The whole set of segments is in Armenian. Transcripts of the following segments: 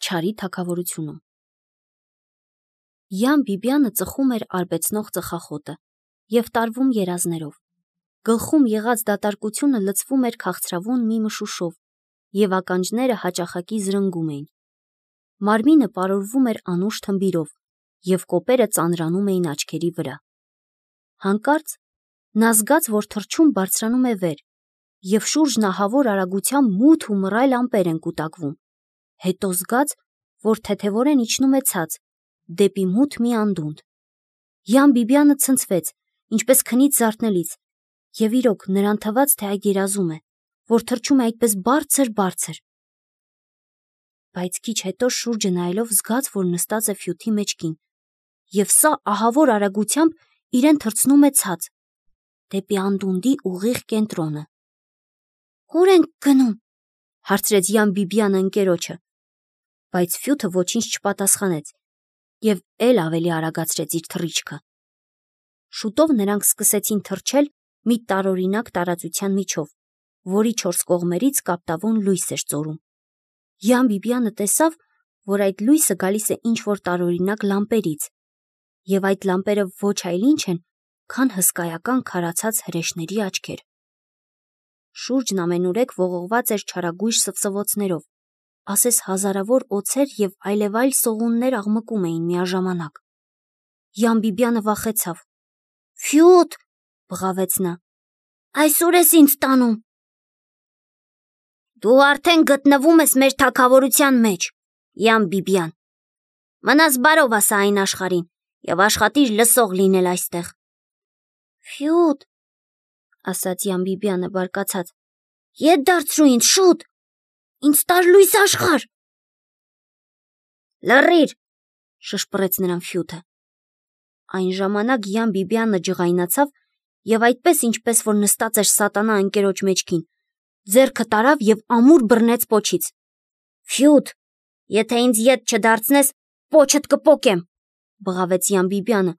չարի թագավորությունում։ Յան Բիբյանը ծխում էր արբեցնող ծխախոտը և տարվում երազներով։ Գլխում եղած դատարկությունը լցվում էր քաղցրավուն մի մշուշով և ականջները հաճախակի զրնգում էին։ Մարմինը պարուրվում էր անուշ թմբիրով և կոպերը ծանրանում էին աչքերի վրա։ Հանկարծ նա զգաց, որ թռչուն բարձրանում է վեր և շուրջն ահավոր արագությամբ մութ ու մռայլ ամպեր են կուտակվում, հետո զգաց, որ թեթևորեն իջնում է ցած, դեպի մութ մի անդունդ։ Յան Բիբյանը ցնցվեց, ինչպես քնից զարթնելիս, և իրոք նրան թվաց, թե այդ երազում է, որ թռչում է այդպես բարձր։ Բայց քիչ հետո շուրջը նայելով զգաց, որ նստած է ֆյուտի մեջքին, և սա ահավոր արագությամբ իրեն թռցնում է ցած, դեպի անդունդի ուղիղ կենտրոնը։ «Ո՞ւր ենք գնում», հարցրեց Յան Բիբյանը ընկերոջը, բայց ֆյութը ոչինչ չպատասխանեց և էլ ավելի արագացրեց իր թռիչքը։ Շուտով նրանք սկսեցին թռչել մի տարօրինակ տարածության միջով, որի 4 կողմերից կապտավուն լույս էր ծորում։ Յան Բիբյանը տեսավ, որ այդ լույսը գալիս է ինչ-որ տարօրինակ լամպերից, և այդ լամպերը ոչ այլ ինչ են, քան հսկայական քարացած հրեշների աչքեր։ Շուրջն ամենուրեք ողողված էր չարագույժ սվսվոցներով, ասես հազարավոր օձեր և այլևայլ սողուններ աղմկում էին միաժամանակ։ Յան Բիբյանը վախեցավ։ «Ֆյութ», բղավեց նա, «այս ուր ես ինձ տանում»։ «Դու արդեն գտնվում ես մեր թագավորության մեջ, Յան Բիբյան, մնաս բարով ասա այն աշխարհին և աշխատիր լսող լինել այստեղ»։ «Ֆյութ», ասաց Յան Բիբյանը բարկացած, «ետ դարձրու ինձ, շուտ, ինձ տար լույս աշխարհ»։ «Լռիր», շշպռեց նրան ֆյութը։ Այն ժամանակ Յան Բիբյանը ջղայնացավ և այդպես, ինչպես որ նստած էր սատանա ընկերոջ մեջքին, ձեռքը տարավ և ամուր բռնեց պոչից։ «Ֆյութ, եթե ինձ ետ չդարձնես, պոչդ կպոկեմ», բղավեց Յան Բիբյանը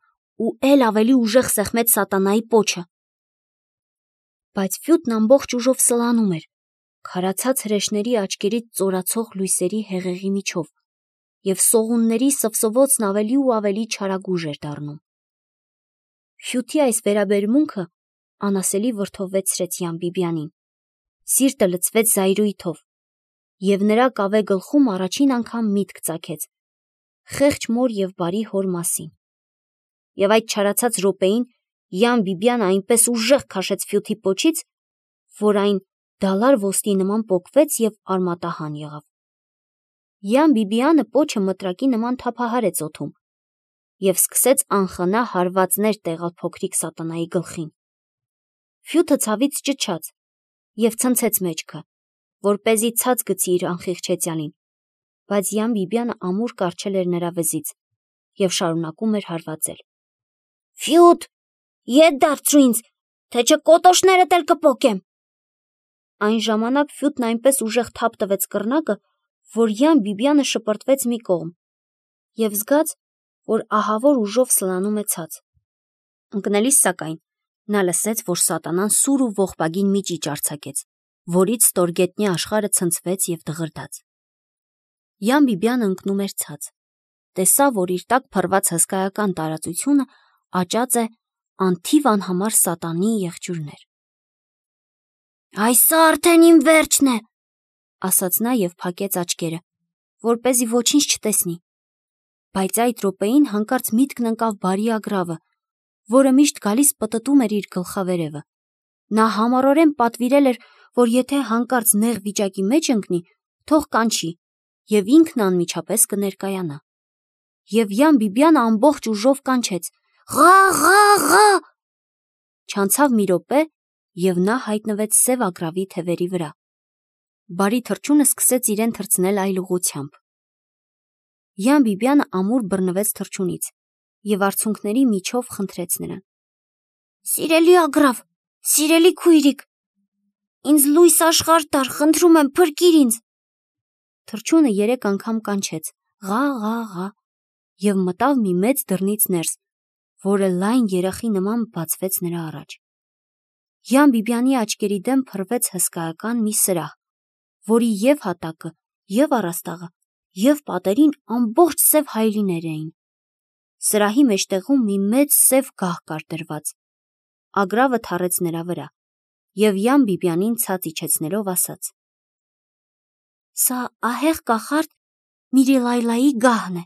ու էլ ավելի ուժեղ սեղմեց սատանայի պոչը։ Բայց ֆյութն ամբողջ ուժով սլանում էր, քարացած հրեշների աչքերից ծորացող լույսերի հեղեղի միջով, և սողունների սվսվոցն ավելի ու ավելի չարագույժ էր դառնում։ Ֆյութի այս վերաբերմունքը անասելի վրդովվեցրեց Յան Բիբյանին։ Սիրտը լցվեց զայրույթով, և նրա կավե գլխում առաջին անգամ միտք ծագեց խեղճ մոր և բարի հոր մասին։ Եվ այդ չարացած րոպեին Յան Բիբյանը այնպես ուժեղ քաշեց ֆյութի պոչից, որ այն դալար ոսկի նման պոկվեց և արմատահան եղավ։ Յան Բիբյանը պոչը մտրակի նման թափահարեց օդում և սկսեց անխնա հարվածներ տեղալ փոքրիկ սատանայի գլխին։ Ֆյութը ցավից ճչաց և ցնցեց մեջքը, որպեսզի ցած գցի իր անխիղճ հեծյալին, բայց Յան Բիբյանը ամուր կառչել էր նրա վզից և շարունակում էր հարվածել։ «Ֆյութ, ետ դարձրու ինձ, թե չէ կոտոշներդ էլ կպոկեմ»։ Այն ժամանակ ֆյութն այնպես ուժեղ թափ տվեց կռնակը, որ Յան Բիբյանը շպրտվեց մի կողմ և զգաց, որ ահավոր ուժով սլանում է ցած։ Ընկնելիս, սակայն, նա լսեց, որ սատանան սուր ու ողբագին մի ճիճ արձակեց, որից ստորգետնյա աշխարհը ցնցվեց և դղրդաց։ Յան Բիբյանը ընկնում էր ցած, տեսավ, որ իր տակ փռված հսկայական տարածությունը աճած է անթիվ անհամար սատանի եղջյուրներ։ «Այս արդեն իմ վերջն է», ասաց նա և փակեց աչքերը, որպեսզի ոչինչ չտեսնի։ Բայց այդ րոպեին հանկարծ միտքն ընկավ բարի ագռավը, որը միշտ գալիս պտտում էր իր գլխավերևը։ Նա համառորեն պատվիրել էր, որ եթե հանկարծ նեղ վիճակի մեջ ընկնի, թող կանչի, և ինքն անմիջապես կներկայանա։ Եվ Յան Բիբյանը ամբողջ ուժով կանչեց. «Ղա, ղա, ղա»։ Չանցավ մի րոպե, և նա հայտնվեց սև ագռավի թևերի վրա։ Բարի թռչունը սկսեց իրեն թռցնել այլ ուղղությամբ։ Յան Բիբյանը ամուր բռնվեց թռչունից և արցունքների միջով խնդրեց նրան. «Սիրելի ագռավ, սիրելի քույրիկ, ինձ լույս աշխարհ տար, խնդրում եմ, փրկիր ինձ»։ Թռչունը 3 անգամ կանչեց. «Ղա, ղա, ղա» և մտավ մի մեծ դռնից ներս, որը լայն երախի նման բացվեց նրա առաջ։ Յան Բիբյանի աչքերի դեմ փռվեց հսկայական մի սրահ, որի և հատակը, և առաստաղը, եւ պատերին ամբողջ սև հայելիներ էին։ Սրահի մեջտեղում մի մեծ սև գահ կար դրված։ Ագրավը թռեց նրա վրա եւ Յան Բիբյանին ցած իջեցնելով ասաց. «Սա ահեղ կախարդ Միրիլայլայի գահն է։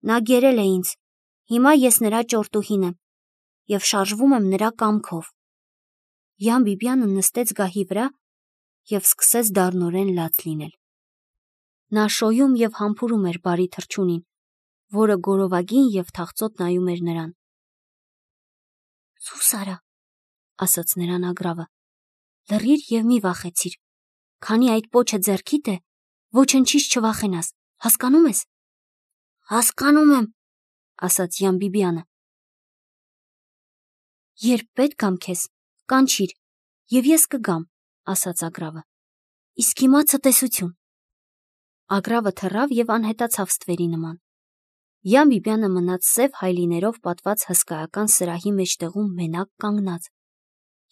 Նա գերել է ինձ, հիմա ես նրա ճորտուհին եմ եւ շարժվում եմ նրա կամքով»։ Յան Բիբյանը նստեց գահի վրա եւ սկսեց դառնորեն լաց լինել։ Նա շոյում եւ համբուրում էր բարի թռչունին, որը գորովագին եւ թախծոտ նայում էր նրան։ «Սուս արա», ասաց նրան Ագրավը, «լռիր եւ մի վախեցիր, քանի այդ պոչը ձեռքիդ է, ոչնչից չվախենաս, հասկանում ես»։ «Հասկանում եմ», ասաց Յան Բիբյանը։ «Երբ պետք գամ քեզ, կանչիր, եւ ես կգամ», ասաց Ագրավը։ «Իսկ հիմա ցտեսություն»։ Ագրավը թռավ եւ անհետացավ ստվերի նման։ Յան Բիբյանը մնաց սև հայելիներով պատված հսկայական սրահի մեջտեղում մենակ կանգնած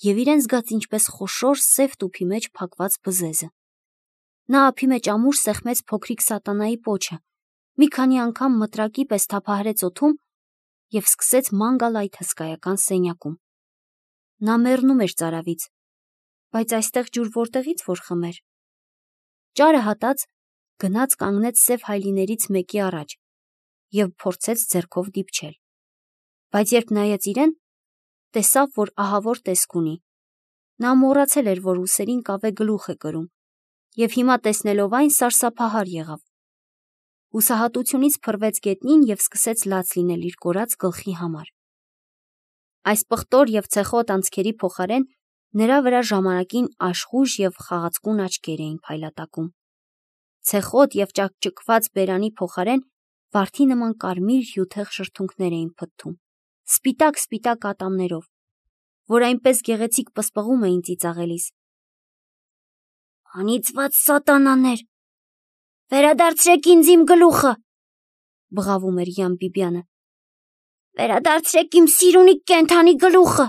եւ իրեն զգաց ինչպես խոշոր սև տուփի մեջ փակված բզեզը։ Նա ափի մեջ ամուր սեղմեց փոքրիկ սատանայի պոչը, մի քանի անգամ մտրակի պես թափահարեց օդում եւ սկսեց ման գալ այդ հսկայական սենյակում։ Նա մեռնում էր ծարավից, բայց այստեղ ջուր որտեղից որ խմեր։ Ճարը հատած գնաց կանգնեց սև հայելիներից մեկի առաջ եւ փորձեց ձեռքով դիպչել։ Բայց երբ նայեց իրեն, տեսավ, որ ահավոր տեսք ունի։ Նա մոռացել էր, որ ուսերին կավե գլուխ է կրում, եւ հիմա տեսնելով այն սարսափահար եղավ։ Հուսահատությունից փռվեց գետնին եւ սկսեց լաց լինել իր կորած գլխի համար։ Այս պղտոր եւ ցեխոտ անցքերի փոխարեն նրա վրա ժամանակին աշխույժ եւ խաղացկուն աչքեր էին փայլատակում։ Ցեխոտ եւ ճակճկված բերանի փոխարեն վարդի նման կարմիր հյութեղ շրթունքներ էին փթթում, սպիտակ ատամներով, որ այնպես գեղեցիկ պսպղում էին ծիծաղելիս։ «Անիծված սատանաներ, վերադարձրեք ինձ իմ գլուխը», բղավում էր Յան Բիբյանը։ «Վերադարձրեք իմ սիրունի կենդանի գլուխը»։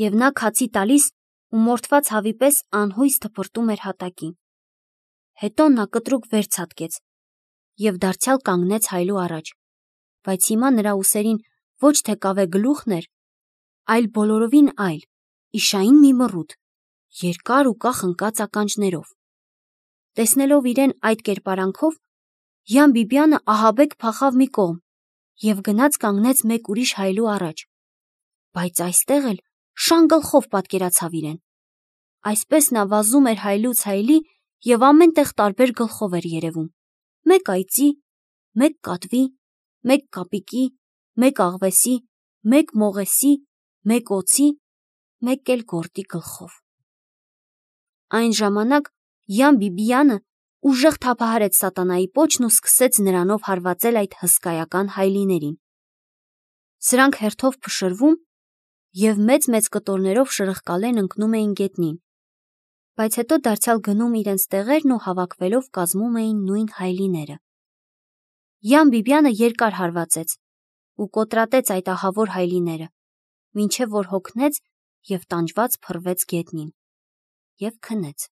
Եվ նա քացի տալիս ու մորթված հավի պես անհույս թփրտում էր հատակին։ Հետո նա կտրուկ վեր ցատկեց եւ դարձյալ կանգնեց հայլու առաջ, բայց հիմա նրա ուսերին ոչ թե կավե գլուխն էր, այլ բոլորովին այլ, իշային մի մռութ, երկար ու կախ ընկած ականջներով։ Տեսնելով իրեն այդ կերպարանքով, Յան Բիբյանը ահաբեկ փախավ մի կողմ եւ գնաց կանգնեց մեկ ուրիշ հայլու առաջ, բայց այստեղ էլ շան գլխով պատկերացավ իրեն։ Այսպես նա վազում էր հայլուց հայլի եւ ամեն տեղ տարբեր գլխով էր երևում. մեկ այծի, մեկ կատվի, մեկ կապիկի, մեկ աղվեսի, մեկ մողեսի, մեկ օձի, մեկ էլ գորտի գլխով։ Այն ժամանակ Յան Բիբյանը ուժեղ թափահարեց սատանայի պոչն ու սկսեց նրանով հարվածել այդ հսկայական հայելիներին։ Սրանք հերթով փշրվում եւ մեծ կտորներով շրխկալեն ընկնում էին գետնին, բայց հետո դարձյալ գնում իրենց տեղերն ու հավաքվելով կազմում էին նույն հայելիները։ Յան Բիբյանը երկար հարվածեց ու կոտրատեց այդ ահավոր հայելիները, մինչև որ հոգնեց եւ տանջված փռվեց գետնին եւ քնեց։